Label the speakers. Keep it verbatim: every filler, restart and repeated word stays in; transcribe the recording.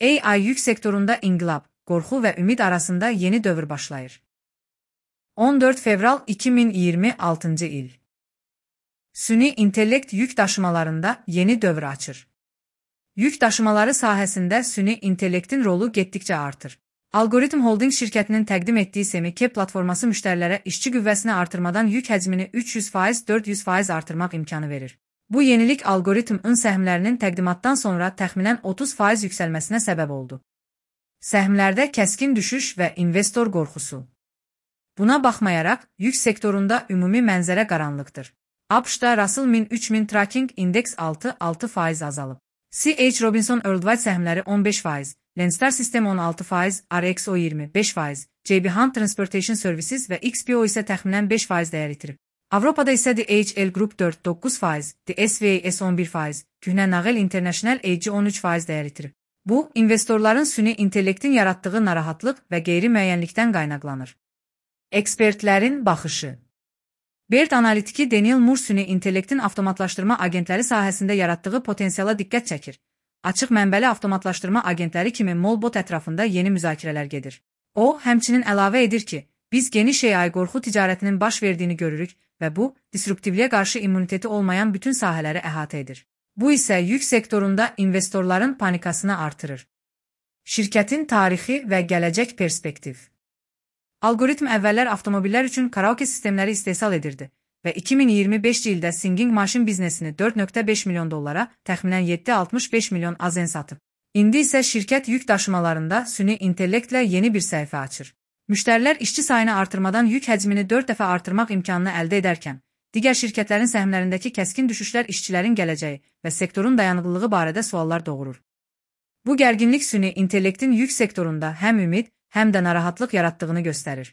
Speaker 1: A I yük sektorunda inqilab, qorxu və ümid arasında yeni dövr başlayır. on dörd fevral iki min iyirmi altıncı il. Süni intellekt yük daşımalarında yeni dövr açır. Yük daşımaları sahəsində süni intellektin rolu getdikcə artır. Algoritm Holding şirkətinin təqdim etdiyi Semi-K platforması müştərilərə işçi qüvvəsini artırmadan yük həcmini üç yüz faiz dörd yüz faiz artırmaq imkanı verir. Bu yenilik algoritm-ın səhmlərinin təqdimatdan sonra təxminən otuz faiz yüksəlməsinə səbəb oldu. Səhmlərdə kəskin düşüş və investor qorxusu. Buna baxmayaraq, yük sektorunda ümumi mənzərə qaranlıqdır. ABŞ-da Russell min üç min Tracking Index altı altı faiz azalıb. C H Robinson Worldwide səhmləri on beş faiz, Landstar System on altı faiz, R X O iyirmi beş faiz, J B Hunt Transportation Services və X P O isə təxminən beş faiz dəyər itirib. Avropada isə D H L Group dörd doqquz faiz, D S V A S on bir faiz, Köhnə Nağıl International A G on üç faiz dəyər itirib. Bu, investorların süni intellektin yaratdığı narahatlıq və qeyri-müəyyənlikdən qaynaqlanır. Ekspertlərin baxışı. Baird analitiki Daniel Moore süni intellektin avtomatlaşdırma agentləri sahəsində yaratdığı potensiala diqqət çəkir. Açıq mənbəli avtomatlaşdırma agentləri kimi Molbot ətrafında yeni müzakirələr gedir. O, həmçinin əlavə edir ki, biz geniş A I qorxu ticarətinin baş verdiyini görürük və bu, disruptivliyə qarşı immuniteti olmayan bütün sahələri əhatə edir. Bu isə yük sektorunda investorların panikasını artırır. Şirkətin tarixi və gələcək perspektiv. Algoritm əvvəllər avtomobillər üçün karaoke sistemləri istehsal edirdi və iki min iyirmi beşinci ildə Singing Machine biznesini dörd nöqtə beş milyon dollara, təxminən yeddi altmış beş milyon azen satıb. İndi isə şirkət yük daşımalarında süni intellektlə yeni bir səhifə açır. Müştərilər işçi sayını artırmadan yük həcmini dörd dəfə artırmaq imkanını əldə edərkən, digər şirkətlərin səhmlərindəki kəskin düşüşlər işçilərin gələcəyi və sektorun dayanıqlılığı barədə suallar doğurur. Bu gərginlik süni intellektin yük sektorunda həm ümid, həm də narahatlıq yaratdığını göstərir.